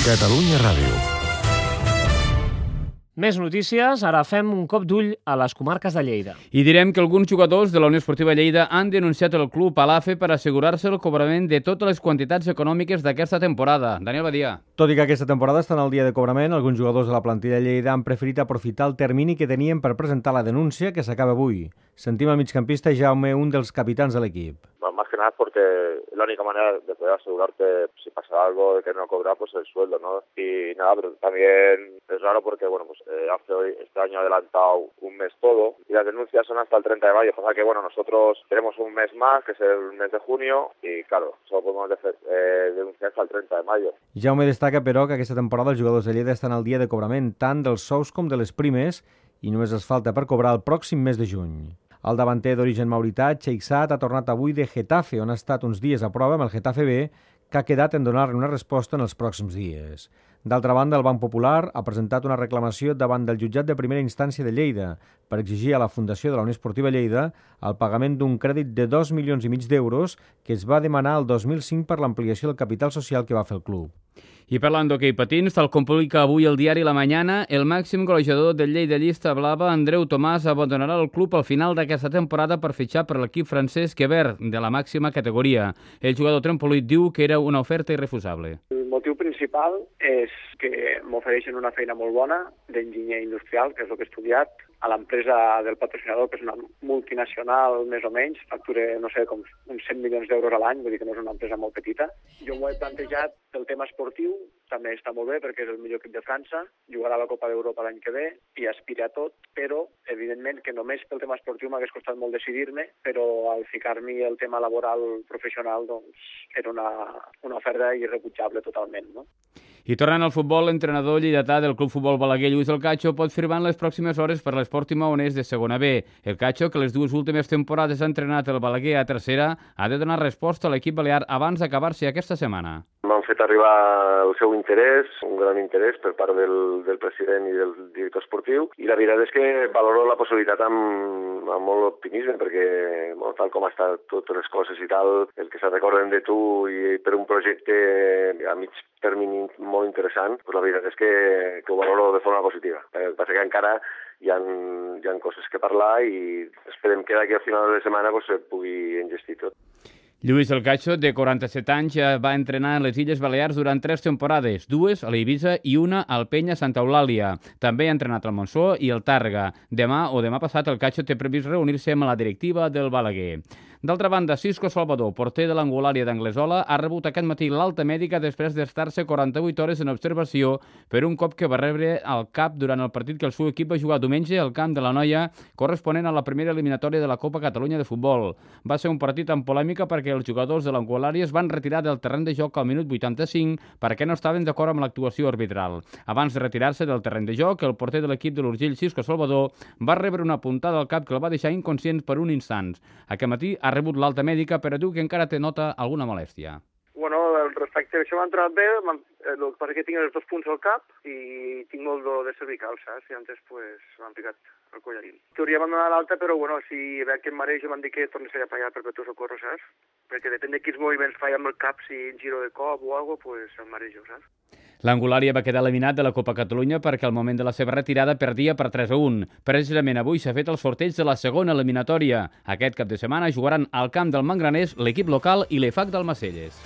Catalunya Ràdio. Més notícies, ara fem un cop d'ull a les comarques de Lleida. I direm que alguns jugadors de la Unió Esportiva Lleida han denunciat el club a l'AFE per assegurar-se el cobrament de totes les quantitats econòmiques d'aquesta temporada. Daniel Badia. Tot i que aquesta temporada estan al dia de cobrament, alguns jugadors de la plantilla de Lleida han preferit aprofitar el termini que tenien per presentar la denúncia, que s'acaba avui. Sentim el migcampista Jaume, un dels capitans de l'equip. Más que nada porque es la única manera de poder asegurarte si pasa algo de que no cobrar pues el sueldo, ¿no? Y nada, pero también es raro porque hace hoy, este año adelantado un mes todo y las denuncias son hasta el 30 de mayo. Pasa que nosotros tenemos un mes más, que es el mes de junio, y claro, solo podemos denunciar hasta el 30 de mayo. Jaume destaca, però, que aquesta temporada els jugadors de Lleida estan al dia de cobrament tant dels sous com de les primes i només els falta per cobrar el pròxim mes de juny. El davanter d'origen maurità, Cheiksat, ha tornat avui de Getafe, on ha estat uns dies a prova amb el Getafe B, que ha quedat en donar-li una resposta en els pròxims dies. D'altra banda, el Banc Popular ha presentat una reclamació davant del jutjat de primera instància de Lleida per exigir a la Fundació de la Unió Esportiva Lleida el pagament d'un crèdit de 2,5 milions d'euros que es va demanar el 2005 per l'ampliació del capital social que va fer el club. I parlant d'hoquei patins, tal com publica avui el diari La Mañana, el màxim golejador del Lleida Llista Blava, Andreu Tomàs, abandonarà el club al final d'aquesta temporada per fitxar per l'equip francès Quebert, de la màxima categoria. El jugador trempolit diu que era una oferta irrefusable. El motiu principal és que m'ofereixen una feina molt bona d'enginyer industrial, que és el que he estudiat, a l'empresa del patrocinador, que és una multinacional més o menys, factura, no sé, com uns 100 milions d'euros a l'any, vull dir que no és una empresa molt petita. Jo m'ho he plantejat pel tema esportiu, també està molt bé perquè és el millor equip de França, jugarà a la Copa d'Europa l'any que ve i aspira a tot, però evidentment que només pel tema esportiu m'hagués costat molt decidir-me, però al ficar-m'hi el tema laboral professional doncs era una oferta irrebutjable totalment, no? I tornant al futbol, l'entrenador lleidatà del Club Futbol Balaguer, Lluís El Cacho, pot firmar en les pròximes hores per l'Esport Maonès de segona B. El Cacho, que les dues últimes temporades ha entrenat el Balaguer a tercera, ha de donar resposta a l'equip balear abans d'acabar-se aquesta setmana. M'han fet arribar el seu interès, un gran interès per part del president i del director esportiu, i la veritat és que valoro la possibilitat amb molt optimisme, perquè tal com estan totes les coses i tal, el que se recorden de tu i per un projecte a mig termini molt interessant, la veritat és que ho valoro de forma positiva. El que passa que encara hi ha coses que parlar i esperem que d'aquí al final de la setmana se pugui engestir tot. Lluís El Cacho, de 47 anys, ja va entrenar en les Illes Balears durant 3 temporades, 2 a l'Eivissa i 1 al Penya Santa Eulàlia. També ha entrenat al Montsó i el Tàrrega. Demà passat el Cacho té previst reunir-se amb la directiva del Balaguer. D'altra banda, Cisco Salvador, porter de l'Angulària d'Anglesola, ha rebut aquest matí l'alta mèdica després d'estar-se 48 hores en observació per un cop que va rebre al cap durant el partit que el seu equip va jugar diumenge al camp de la Noia, corresponent a la primera eliminatòria de la Copa Catalunya de Futbol. Va ser un partit amb polèmica perquè els jugadors de l'Angulària es van retirar del terreny de joc al minut 85 perquè no estaven d'acord amb l'actuació arbitral. Abans de retirar-se del terreny de joc, el porter de l'equip de l'Urgell, Cisco Salvador, va rebre una puntada al cap que el va deixar inconscient per un instant. Aquest matí ha rebut l'alta mèdica, però diu que encara té nota alguna molèstia. Respecte a això m'ha entrat bé, el que passa que tinc els 2 punts al cap i tinc molt dolor de cervical, saps? I antes m'han picat el collarín. En teoria m'han donat l'alta, però si veig que em marejo m'han dit que tornes a pagar per tu socorro, saps? Perquè depèn de quins moviments faig amb el cap, si giro de cop o alguna cosa, em marejo, saps? L'Angulària va quedar eliminat de la Copa Catalunya perquè al moment de la seva retirada perdia per 3-1. Precisament avui s'ha fet el sorteig de la segona eliminatòria. Aquest cap de setmana jugaran al camp del Mangraners l'equip local i l'EFAC d'Almacelles.